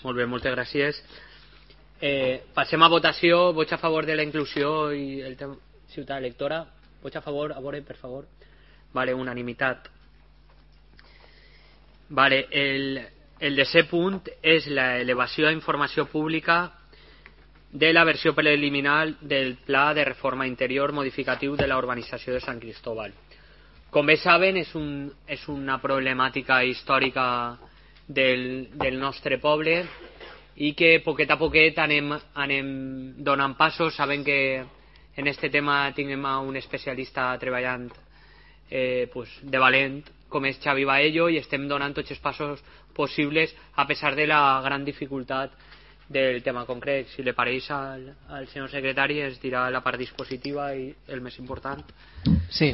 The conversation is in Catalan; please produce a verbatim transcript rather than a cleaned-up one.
Molt bé, moltes gràcies. Eh, passem a votació. Vots a favor de la inclusió i el tema ciutat electora. Vots a favor, a veure, per favor. Vale, unanimitat. Vale, el, el desè punt és l'elevació a informació pública de la versió preliminar del Pla de Reforma Interior modificatiu de la urbanització de Sant Cristóbal. Com bé saben, és, un, és una problemàtica històrica del, del nostre poble i que poquet a poquet anem, anem donant passos. Saben que en este tema tinguem un especialista treballant eh, pues, de valent com és Xavi Baello, i estem donant tots els passos possibles a pesar de la gran dificultat del tema concret. Si li pareix al, al senyor secretari, es dirà la part dispositiva i el més important. Sí,